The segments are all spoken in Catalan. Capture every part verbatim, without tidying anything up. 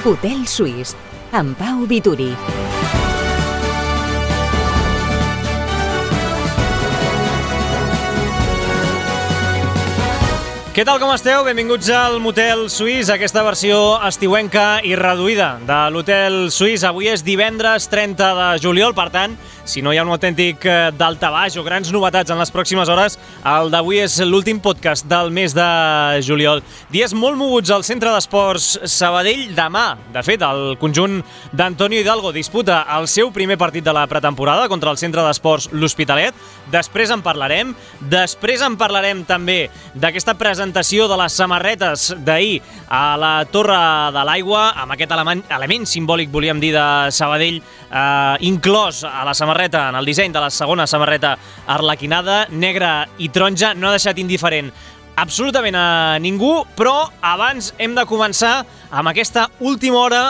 Hotel Suís, amb Pau Vituri. Què tal, com esteu? Benvinguts al Motel Suís, aquesta versió estiuenca i reduïda de l'Hotel Suís. Avui és divendres trenta de juliol, per tant, si no hi ha un autèntic daltabaix o grans novetats en les pròximes hores, el d'avui és l'últim podcast del mes de juliol. Dies molt moguts al Centre d'Esports Sabadell. Demà, de fet, el conjunt d'Antonio Hidalgo disputa el seu primer partit de la pretemporada contra el Centre d'Esports L'Hospitalet. Després en parlarem. Després en parlarem també d'aquesta presentació de les samarretes d'ahir a la Torre de l'Aigua, amb aquest element, element simbòlic, volíem dir, de Sabadell, eh, inclòs a la samarreta, en el disseny de la segona samarreta arlequinada, negra i taronja. No ha deixat indiferent absolutament a ningú, però abans hem de començar amb aquesta última hora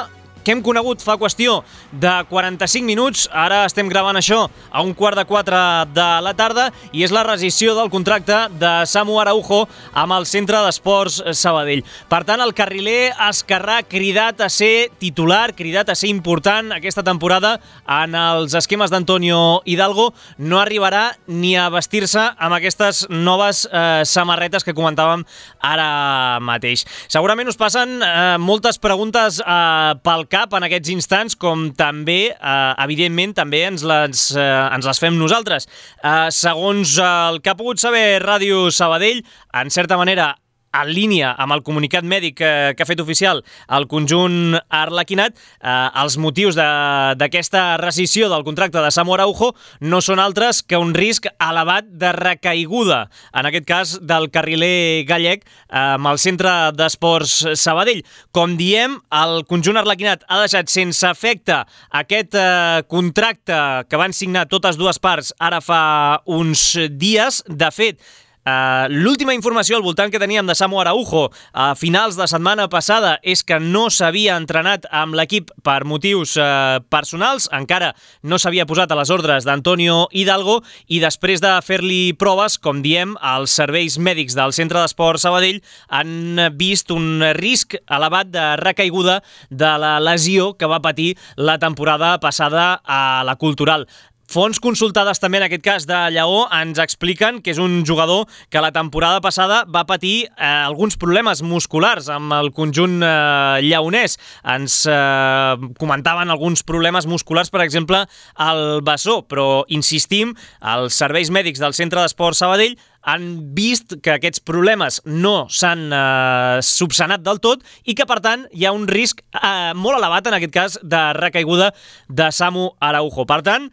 que hem conegut fa qüestió de quaranta-cinc minuts. Ara estem gravant això a un quart de quatre de la tarda i és la rescissió del contracte de Samu Araujo amb el Centre d'Esports Sabadell. Per tant, el carriler esquerrà cridat a ser titular, cridat a ser important aquesta temporada en els esquemes d'Antonio Hidalgo. No arribarà ni a vestir-se amb aquestes noves eh, samarretes que comentàvem ara mateix. Segurament us passen eh, moltes preguntes eh, pel cap en aquests instants, com també, eh, evidentment, també ens les, eh, ens les fem nosaltres. Eh, segons el que ha pogut saber Ràdio Sabadell, en certa manera, en línia amb el comunicat mèdic que, que ha fet oficial el conjunt arlequinat, eh, els motius d'aquesta rescissió del contracte de Samu Araujo no són altres que un risc elevat de recaiguda, en aquest cas del carriler gallec, eh, amb el Centre d'Esports Sabadell. Com diem, el conjunt arlequinat ha deixat sense efecte aquest eh, contracte que van signar totes dues parts ara fa uns dies. De fet, Uh, l'última informació al voltant que teníem de Samu Araujo a finals de setmana passada és que no s'havia entrenat amb l'equip per motius uh, personals, encara no s'havia posat a les ordres d'Antonio Hidalgo, i després de fer-li proves, com diem, els serveis mèdics del Centre d'Esports Sabadell han vist un risc elevat de recaiguda de la lesió que va patir la temporada passada a la Cultural. Fonts consultades també en aquest cas de Lleó ens expliquen que és un jugador que la temporada passada va patir eh, alguns problemes musculars amb el conjunt eh, lleonès. Ens eh, comentaven alguns problemes musculars, per exemple, al bessó, però insistim, els serveis mèdics del Centre d'Esports Sabadell han vist que aquests problemes no s'han eh, subsanat del tot i que, per tant, hi ha un risc eh, molt elevat, en aquest cas, de recaiguda de Samu Araujo. Per tant,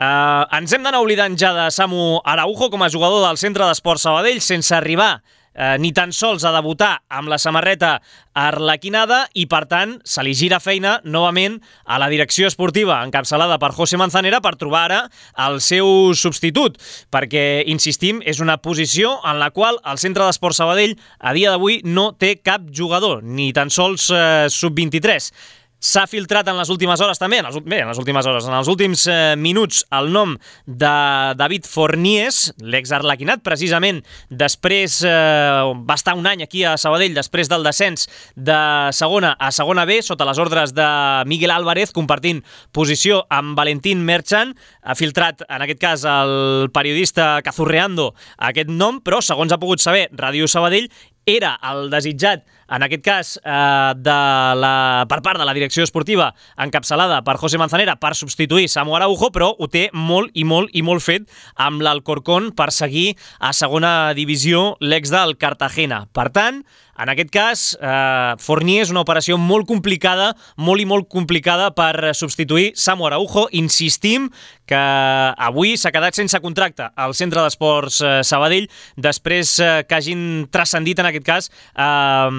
Uh, ens hem d'anar oblidant ja de Samu Araujo com a jugador del Centre d'Esports Sabadell, sense arribar uh, ni tan sols a debutar amb la samarreta arlequinada, i per tant se li gira feina novament a la direcció esportiva encapçalada per José Manzanera per trobar ara el seu substitut, perquè, insistim, és una posició en la qual el Centre d'Esports Sabadell a dia d'avui no té cap jugador, ni tan sols uh, sub vint-i-tres. S'ha filtrat en les últimes hores també, en les, bé, en les últimes hores, en els últims eh, minuts, el nom de David Fornies, l'ex-arlequinat, precisament després, eh, va estar un any aquí a Sabadell, després del descens de segona a segona B, sota les ordres de Miguel Álvarez, compartint posició amb Valentín Merchan. Ha filtrat, en aquest cas, el periodista Cazurreando aquest nom, però, segons ha pogut saber Ràdio Sabadell, era el desitjat, en aquest cas, eh, de la, per part de la direcció esportiva encapçalada per José Manzanera per substituir Samu Araujo, però ho té molt i molt i molt fet amb l'Alcorcón per seguir a segona divisió l'ex del Cartagena. Per tant, en aquest cas, eh, Fornier és una operació molt complicada, molt i molt complicada per substituir Samu Araujo. Insistim que avui s'ha quedat sense contracte al Centre d'Esports eh, Sabadell després eh, que hagin transcendit, en aquest cas, eh,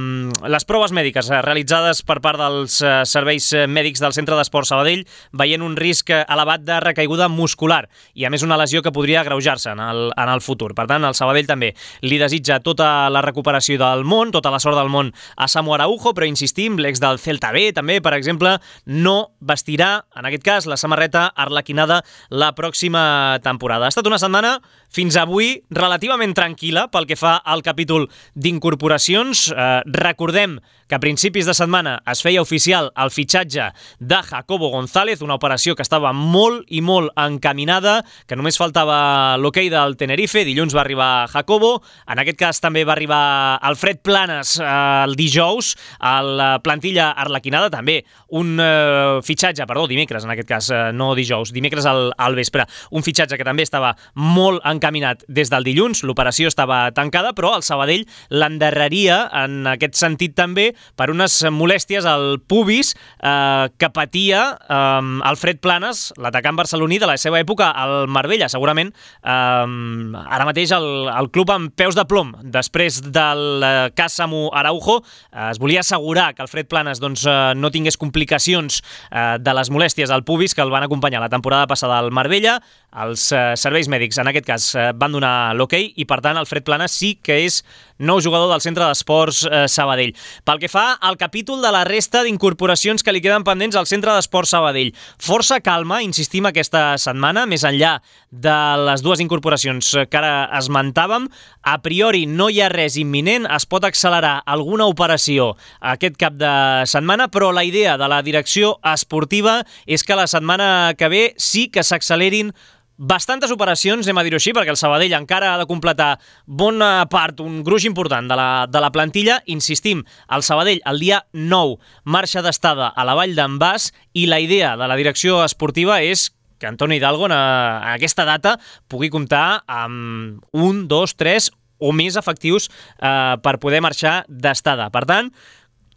les proves mèdiques eh, realitzades per part dels eh, serveis mèdics del Centre d'Esports Sabadell, veient un risc elevat de recaiguda muscular i, a més, una lesió que podria agreujar-se en el, en el futur. Per tant, el Sabadell també li desitja tota la recuperació del món, tota la sort del món a Samu Araujo, però insistim, l'ex del Celta B també, per exemple, no vestirà, en aquest cas, la samarreta arlequinada la pròxima temporada. Ha estat una setmana fins avui relativament tranquil·la pel que fa al capítol d'incorporacions. Eh, recordem que a principis de setmana es feia oficial el fitxatge de Jacobo González, una operació que estava molt i molt encaminada, que només faltava l'hoquei del Tenerife. Dilluns va arribar Jacobo, en aquest cas també va arribar Alfred Planes eh, el dijous, a la plantilla arlequinada, també un eh, fitxatge, perdó, dimecres en aquest cas, eh, no dijous, dimecres al, al vespre, un fitxatge que també estava molt encaminat des del dilluns, l'operació estava tancada, però el Sabadell l'endarreria en aquest sentit també per unes molèsties al pubis eh, que patia eh, Alfred Planes, l'atacant barceloní de la seva època al Marbella. Segurament eh, ara mateix el, el club amb peus de plom. Després del eh, cas Samu Araujo eh, es volia assegurar que Alfred Planes doncs, eh, no tingués complicacions eh, de les molèsties al pubis que el van acompanyar la temporada passada al Marbella. Els eh, serveis mèdics en aquest cas eh, van donar l'hoquei i per tant Alfred Planes sí que és nou jugador del Centre d'Esports eh, Sabadell. Pel que fa al capítol de la resta d'incorporacions que li queden pendents al Centre d'Esports Sabadell, força calma, insistim, aquesta setmana, més enllà de les dues incorporacions que ara esmentàvem. A priori no hi ha res imminent, es pot accelerar alguna operació aquest cap de setmana, però la idea de la direcció esportiva és que la setmana que ve sí que s'accelerin bastantes operacions, anem a dir-ho així, perquè el Sabadell encara ha de completar bona part, un gruix important de la, de la plantilla. Insistim, el Sabadell el dia nou marxa d'estada a la Vall d'en Bas i la idea de la direcció esportiva és que Antonio Hidalgo a, a aquesta data pugui comptar amb un, dos, tres o més efectius eh, per poder marxar d'estada. Per tant,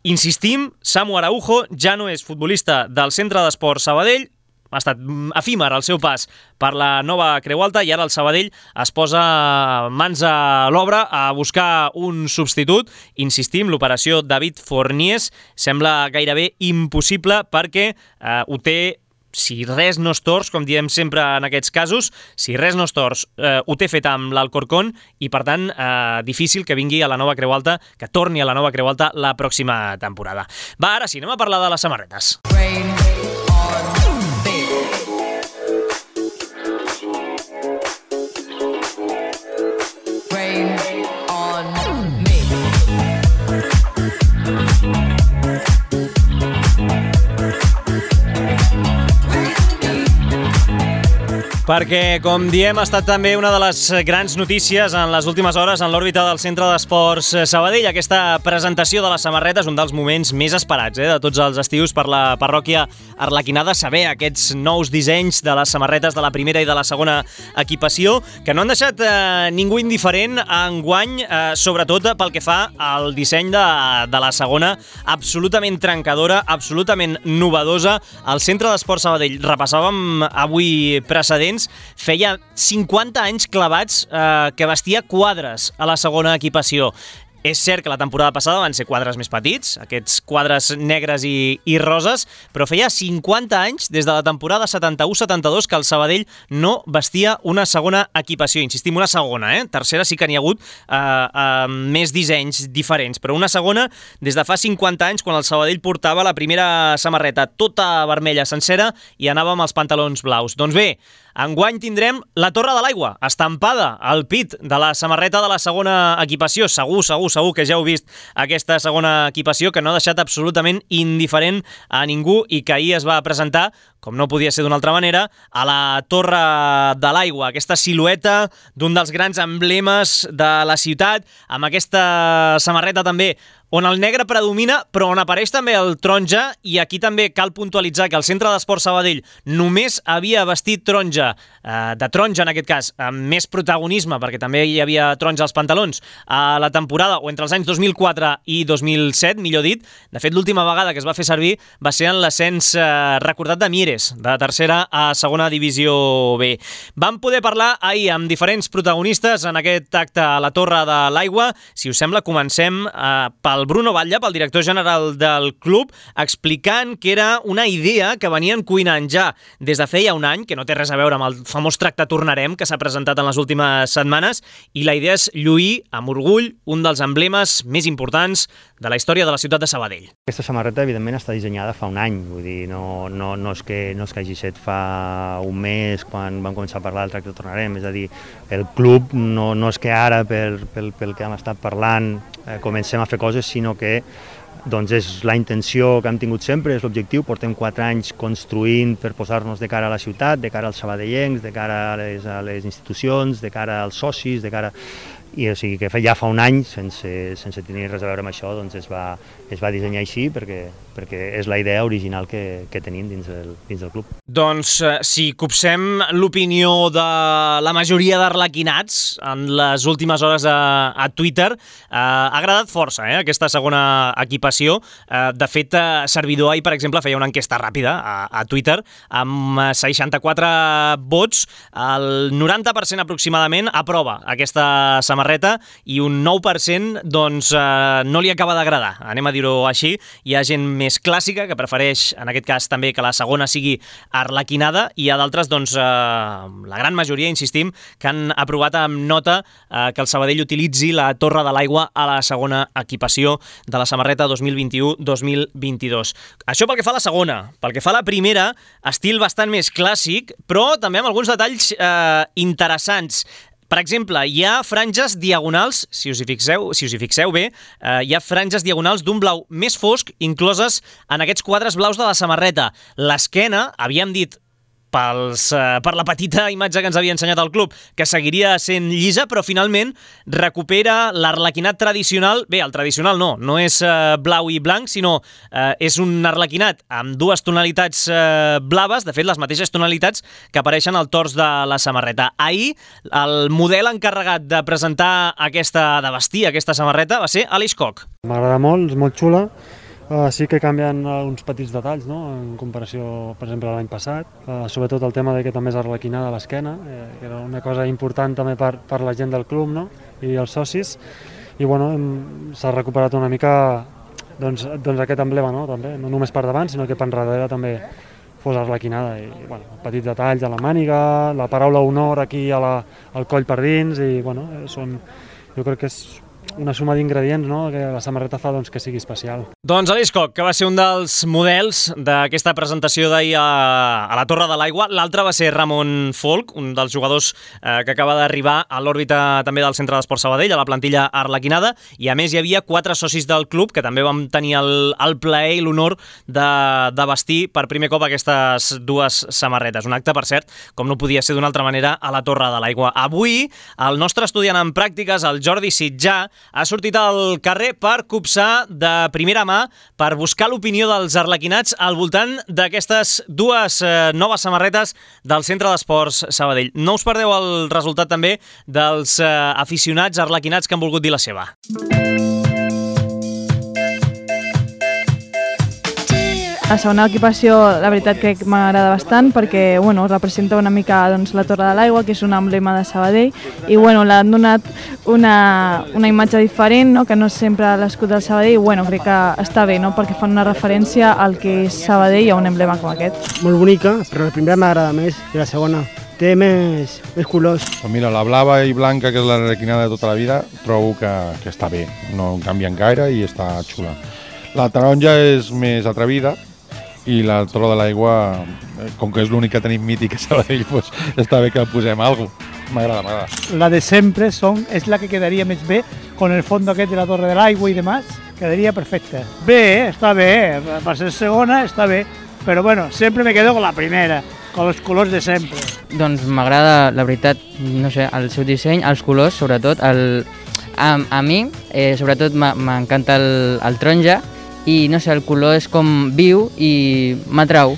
insistim, Samu Araujo ja no és futbolista del Centre d'Esports Sabadell, ha estat efímer el seu pas per la nova Creu Alta i ara el Sabadell es posa mans a l'obra a buscar un substitut. Insistim, l'operació David Fornies sembla gairebé impossible perquè eh, ho té, si res no es tors, com diem sempre en aquests casos, si res no es tors, eh, ho té fet amb l'Alcorcón i, per tant, eh, difícil que vingui a la nova Creu Alta, que torni a la nova Creu Alta la pròxima temporada. Va, ara sí, anem a parlar de les samarretes. Rain on perquè, com diem, ha estat també una de les grans notícies en les últimes hores en l'òrbita del Centre d'Esports Sabadell. Aquesta presentació de les samarretes, un dels moments més esperats eh, de tots els estius per la parròquia arlequinada, saber aquests nous dissenys de les samarretes de la primera i de la segona equipació, que no han deixat eh, ningú indiferent enguany, eh, sobretot pel que fa al disseny de, de la segona, absolutament trencadora, absolutament novedosa. Al Centre d'Esports Sabadell, repassàvem avui precedents, feia cinquanta anys clavats eh, que vestia quadres a la segona equipació. És cert que la temporada passada van ser quadres més petits, aquests quadres negres i, i roses, però feia cinquanta anys, des de la temporada setanta-u setanta-dos, que el Sabadell no vestia una segona equipació. Insistim, una segona, eh? Tercera sí que n'hi ha hagut eh, eh, més dissenys diferents, però una segona des de fa cinquanta anys, quan el Sabadell portava la primera samarreta tota vermella sencera i anava amb els pantalons blaus. Doncs bé, enguany tindrem la Torre de l'Aigua, estampada al pit de la samarreta de la segona equipació. Segur, segur, segur que ja heu vist aquesta segona equipació, que no ha deixat absolutament indiferent a ningú i que ahir es va presentar, com no podia ser d'una altra manera, a la Torre de l'Aigua, aquesta silueta d'un dels grans emblemes de la ciutat, amb aquesta samarreta també on el negre predomina, però on apareix també el taronja, i aquí també cal puntualitzar que el Centre d'Esports Sabadell només havia vestit taronja, eh, de taronja en aquest cas, amb més protagonisme, perquè també hi havia taronja als pantalons, a la temporada, o entre els anys dos mil quatre i dos mil set, millor dit. De fet, l'última vegada que es va fer servir va ser en l'ascens eh, recordat de Mieres, de tercera a segona divisió B. Vam poder parlar ahir amb diferents protagonistes en aquest acte a la Torre de l'Aigua. Si us sembla, comencem eh, pel el Bruno Batlle, pel director general del club, explicant que era una idea que venien cuinant ja des de feia un any, que no té res a veure amb el famós tracte Tornarem que s'ha presentat en les últimes setmanes, i la idea és lluir amb orgull un dels emblemes més importants de la història de la ciutat de Sabadell. Aquesta samarreta, evidentment, està dissenyada fa un any, vull dir, no, no, no, és que, no és que hagi set fa un mes quan vam començar a parlar del tracte Tornarem, és a dir, el club no, no és que ara, per, pel, pel que hem estat parlant, eh, comencem a fer coses, sinó que doncs és la intenció que hem tingut sempre, és l'objectiu. Portem quatre anys construint per posar-nos de cara a la ciutat, de cara als sabadellencs, de cara a les, a les institucions, de cara als socis, de cara... I o sigui que ja fa un any, sense, sense tenir res a veure amb això, doncs es va, es va dissenyar així perquè, perquè és la idea original que, que tenim dins del, dins del club. Doncs eh, si copsem l'opinió de la majoria d'arlequinats en les últimes hores a, a Twitter, eh, ha agradat força eh, aquesta segona equipació. Eh, de fet, eh, Servidor ahir, per exemple, feia una enquesta ràpida a, a Twitter amb seixanta-quatre vots, el noranta per cent aproximadament aprova aquesta samarreta i un nou per cent doncs, eh, no li acaba d'agradar, anem a dir-ho així. Hi ha gent més clàssica que prefereix, en aquest cas també, que la segona sigui arlequinada, i hi ha d'altres, doncs, eh, la gran majoria, insistim, que han aprovat amb nota eh, que el Sabadell utilitzi la Torre de l'Aigua a la segona equipació de la samarreta dos mil vint-i-u dos mil vint-i-dos. Això pel que fa a la segona. Pel que fa a la primera, estil bastant més clàssic, però també amb alguns detalls eh, interessants. Per exemple, hi ha franges diagonals, si us hi fixeu, si us hi fixeu bé, eh, hi ha franges diagonals d'un blau més fosc incloses en aquests quadres blaus de la samarreta. L'esquena, havíem dit pels, eh, per la petita imatge que ens havia ensenyat el club, que seguiria sent llisa, però finalment recupera l'arlequinat tradicional. Bé, el tradicional no, no és eh, blau i blanc, sinó eh, és un arlequinat amb dues tonalitats eh, blaves, de fet les mateixes tonalitats que apareixen al tors de la samarreta. Ahir el model encarregat de presentar aquesta, de vestir aquesta samarreta va ser Aleix Koch. M'agrada molt, és molt xula. Uh, sí que canvien uh, uns petits detalls, no?, en comparació, per exemple, a l'any passat. Uh, sobretot el tema de que també és arlequinada a l'esquena, eh, que era una cosa important també per, per la gent del club, no?, i els socis. I bueno, s'ha recuperat una mica doncs, doncs aquest emblema, no?, també, no només per davant, sinó que per darrere també fos arlequinada. I, bueno, petits detalls a la màniga, la paraula honor aquí a la, al coll per dins, i bueno, són, jo crec que és una suma d'ingredients, no?, que la samarreta fa doncs, que sigui especial. Doncs Aleix Koch, que va ser un dels models d'aquesta presentació d'ahir a, a la Torre de l'Aigua. L'altre va ser Ramon Folk, un dels jugadors eh, que acaba d'arribar a l'òrbita també del Centre d'Esport Sabadell, a la plantilla arlequinada, i a més hi havia quatre socis del club que també vam tenir el, el plaer i l'honor de, de vestir per primer cop aquestes dues samarretes. Un acte, per cert, com no podia ser d'una altra manera, a la Torre de l'Aigua. Avui, el nostre estudiant en pràctiques, el Jordi Sitjà, ha sortit al carrer per copsar de primera mà, per buscar l'opinió dels arlequinats al voltant d'aquestes dues eh, noves samarretes del Centre d'Esports Sabadell. No us perdeu el resultat també dels eh, aficionats arlequinats que han volgut dir la seva. La segona equipació, la veritat, crec que m'agrada bastant perquè bueno, representa una mica doncs, la Torre de l'Aigua, que és un emblema de Sabadell, i bueno, l'han donat una, una imatge diferent, no? Que no és sempre l'escut del Sabadell, i bueno, crec que està bé, no? Perquè fan una referència al que és Sabadell a un emblema com aquest. Molt bonica, però la primera m'agrada més que la segona. Té més, més colors. Pues mira, la blava i blanca, que és l'arlequinada de tota la vida, trobo que, que està bé, no canvien gaire i està xula. La taronja és més atrevida, i la Torre de l'Aigua, com que és l'únic que tenim mític a Sabadell, pues, està bé que el posem a alguna cosa. M'agrada, m'agrada. La de sempre son, es la que quedaría más bé, con el fondo aquest de la Torre del Agua y demás, quedaría perfecta. Bé, està bé, per ser segona està bé, però bueno, sempre me quedo con la primera, con los colors de sempre. Doncs m'agrada, la veritat, no sé, el seu disseny, els colors, sobretot, el, a, a mi, eh, sobretot m'encanta el, el taronja, i no sé, el color és com viu i m'atrau.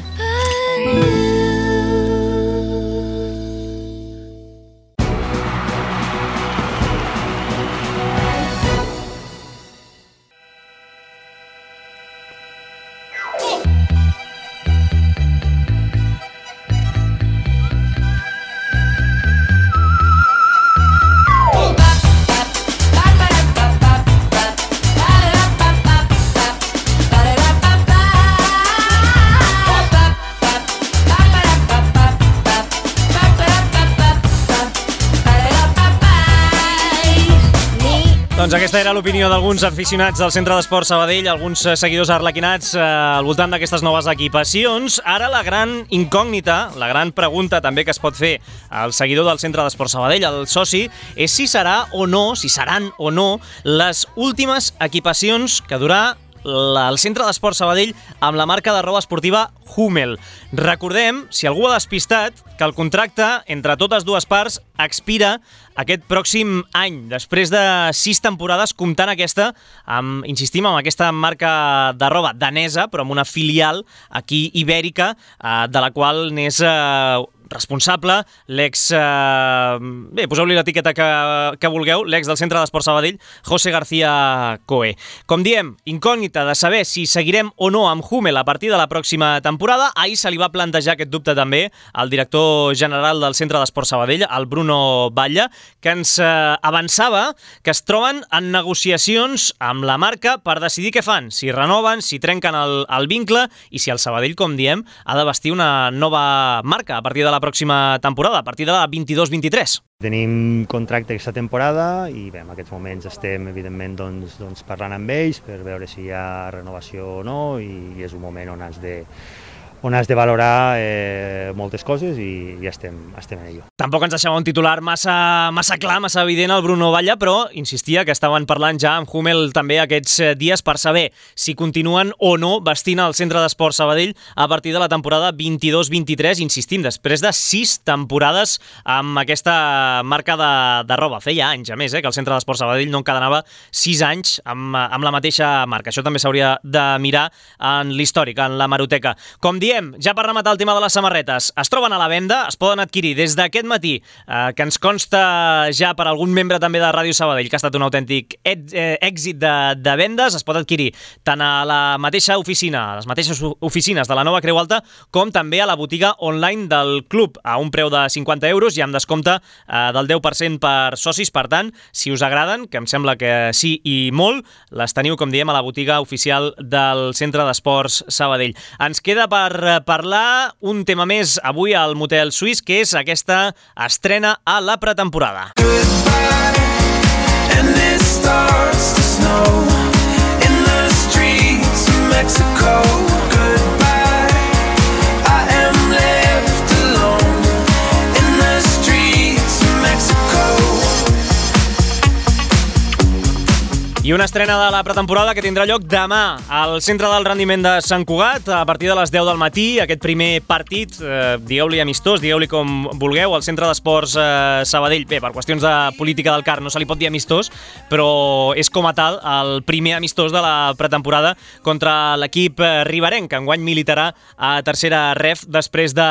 Doncs aquesta era l'opinió d'alguns aficionats del Centre d'Esport Sabadell, alguns seguidors arlequinats eh, al voltant d'aquestes noves equipacions. Ara la gran incògnita, la gran pregunta també que es pot fer al seguidor del Centre d'Esport Sabadell, al soci, és si serà o no, si seran o no, les últimes equipacions que durà el centre d'esport Sabadell amb la marca de roba esportiva Hummel. Recordem, si algú ha despistat, que el contracte entre totes dues parts expira aquest pròxim any, després de sis temporades, comptant aquesta, amb, insistim, amb aquesta marca de roba danesa, però amb una filial aquí ibèrica, eh, de la qual n'és eh, responsable l'ex... Eh, bé, poseu-li l'etiqueta que, que vulgueu, l'ex del Centre d'Esport Sabadell, José García Coe. Com diem, incògnita de saber si seguirem o no amb Hummel a partir de la pròxima temporada. Ahir se li va plantejar aquest dubte també al director general del Centre d'Esport Sabadell, el Bruno Batlle, que ens eh, avançava que es troben en negociacions amb la marca per decidir què fan, si renoven, si trenquen el, el vincle i si el Sabadell, com diem, ha de vestir una nova marca a partir de la pròxima temporada, a partir de la vint-i-dos vint-i-tres. Tenim contracte aquesta temporada i bé, en aquests moments estem evidentment doncs, doncs parlant amb ells per veure si hi ha renovació o no i és un moment on has de on has de valorar eh, moltes coses i ja estem, estem en ello. Tampoc ens deixava un titular massa, massa clar, massa evident el Bruno Batlle, però insistia que estaven parlant ja amb Hummel també aquests dies per saber si continuen o no vestint el Centre d'Esport Sabadell a partir de la temporada vint-i-dos vint-i-tres, insistim, després de sis temporades amb aquesta marca de, de roba. Feia anys, a més, eh, que el Centre d'Esport Sabadell no encadenava sis anys amb, amb la mateixa marca. Això també s'hauria de mirar en l'històric, en la hemeroteca. Com diem, ja per rematar el tema de les samarretes, es troben a la venda, es poden adquirir des d'aquest matí, eh, que ens consta ja per algun membre també de Ràdio Sabadell, que ha estat un autèntic èxit de, de vendes, es pot adquirir tant a la mateixa oficina, a les mateixes oficines de la Nova Creu Alta, com també a la botiga online del club, a un preu de cinquanta euros i amb descompte eh, del deu per cent per socis. Per tant, si us agraden, que em sembla que sí i molt, les teniu, com diem, a la botiga oficial del Centre d'Esports Sabadell. Ens queda per parlar un tema més avui al Motel Suís, que és aquesta estrena a la pretemporada. I una estrena de la pretemporada que tindrà lloc demà al Centre del Rendiment de Sant Cugat a partir de les deu del matí. Aquest primer partit, eh, digueu-li amistós, digueu-li com vulgueu, al Centre d'Esports eh, Sabadell. Bé, per qüestions de política del C A R no se li pot dir amistós, però és com a tal el primer amistós de la pretemporada contra l'equip riberenc, que enguany militarà a tercera ref després de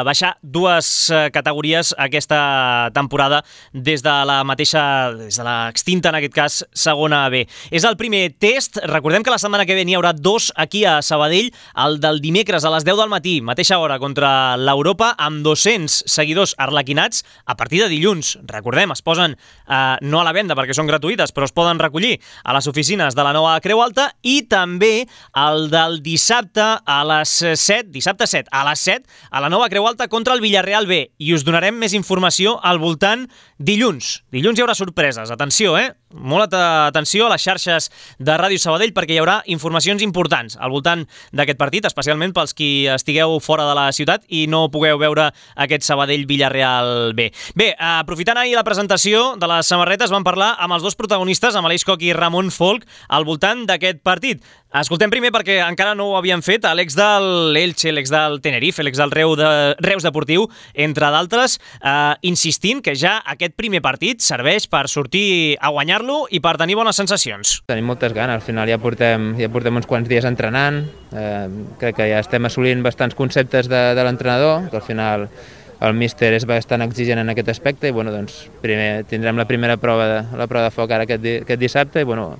baixar dues categories aquesta temporada des de la mateixa, des de l'extinta, en aquest cas, segona B. És el primer test. Recordem que la setmana que ve n'hi haurà dos aquí a Sabadell, el del dimecres a les deu del matí, mateixa hora, contra l'Europa, amb dos-cents seguidors arlequinats a partir de dilluns. Recordem, es posen eh, no a la venda perquè són gratuïtes, però es poden recollir a les oficines de la Nova Creu Alta, i també el del dissabte a les set, dissabte set, a les set, a la Nova Creu Alta contra el Villarreal B. I us donarem més informació al voltant dilluns. Dilluns hi haurà sorpreses. Atenció, eh? Molt atenció a les xarxes de Ràdio Sabadell perquè hi haurà informacions importants al voltant d'aquest partit, especialment pels qui estigueu fora de la ciutat i no pugueu veure aquest Sabadell-Villarreal B. Bé, aprofitant ahir la presentació de les samarretes, vam parlar amb els dos protagonistes, amb Aleix Coc i Ramon Folk, al voltant d'aquest partit. Escoltem primer, perquè encara no ho havien fet, l'ex del Elche, l'ex del Tenerife, l'ex del Reus, de, Reus Deportiu, entre d'altres, eh, insistint que ja aquest primer partit serveix per sortir a guanyar-lo i per tenir bones sensacions. Tenim moltes ganes, al final ja portem, ja portem uns quants dies entrenant, eh, crec que ja estem assolint bastants conceptes de, de l'entrenador, que al final el míster és bastant exigent en aquest aspecte i bueno, doncs, primer tindrem la primera prova de, la prova de foc ara aquest, di, aquest dissabte i bueno,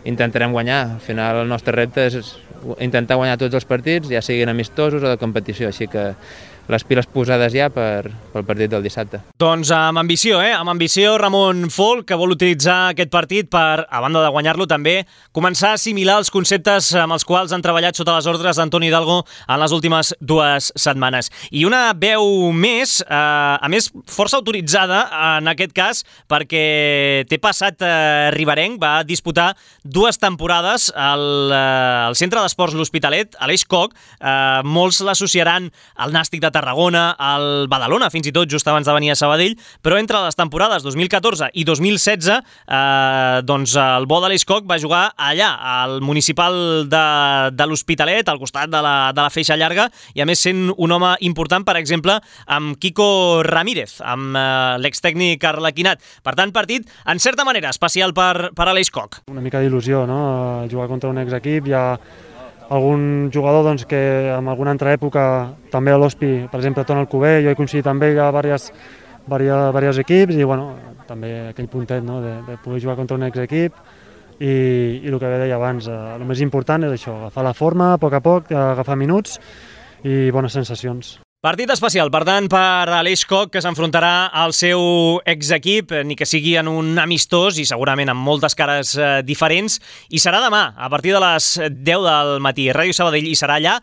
intentarem guanyar. Al final el nostre repte és intentar guanyar tots els partits, ja siguin amistosos o de competició, així que les piles posades ja per, pel partit del dissabte. Doncs amb ambició, eh? Amb ambició, Ramon Folk, que vol utilitzar aquest partit per, a banda de guanyar-lo, també començar a assimilar els conceptes amb els quals han treballat sota les ordres d'Antoni Hidalgo en les últimes dues setmanes. I una veu més, eh, a més força autoritzada en aquest cas, perquè té passat eh, riberenc, va disputar dues temporades al, eh, al Centre d'Esports L'Hospitalet, Aleix Coc. Eh, molts l'associaran al Nàstic de Tarragona, al Badalona, fins i tot just abans de venir a Sabadell, però entre les temporades dos mil catorze i dos mil setze eh, doncs el bo de l'Escoc va jugar allà, al municipal de, de l'Hospitalet, al costat de la, de la feixa llarga, i a més sent un home important, per exemple, amb Quico Ramírez, amb eh, l'extècnic arlequinat. Per tant, partit, en certa manera, especial per, per a l'Escoc. Una mica d'il·lusió, no? Jugar contra un exequip, hi ha algun jugador doncs, que en alguna altra època, també a l'Hospi, per exemple, Ton Alcover, jo he coincidit amb ell a diversos, diversos, diversos equips i bueno, també aquell puntet, no? de, de poder jugar contra un exequip i, i el que deia abans, eh, el més important és això, agafar la forma a poc a poc, agafar minuts i bones sensacions. Partit especial, per tant, per a l'Escoc, que s'enfrontarà al seu exequip, ni que sigui en un amistós i segurament amb moltes cares eh, diferents, i serà demà, a partir de les deu del matí. Ràdio Sabadell hi serà allà,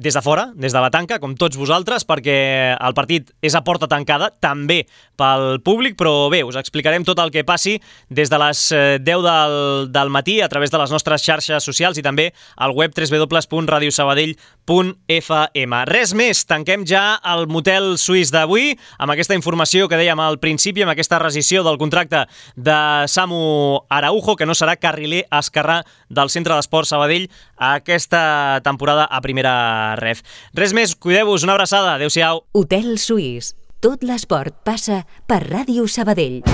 des de fora, des de la tanca, com tots vosaltres, perquè el partit és a porta tancada, també pel públic, però bé, us explicarem tot el que passi des de les deu del, del matí a través de les nostres xarxes socials i també al web w w w punt radio sabadell punt f m. Res més, tanquem ja el motel suís d'avui amb aquesta informació que dèiem al principi, amb aquesta rescissió del contracte de Samu Araujo, que no serà carriler esquerrà del Centre d'Esport Sabadell aquesta temporada a primera ref. Res més, cuideu-vos, una abraçada, adeu-siau. Hotel Suís. Tot l'esport passa per Ràdio Sabadell.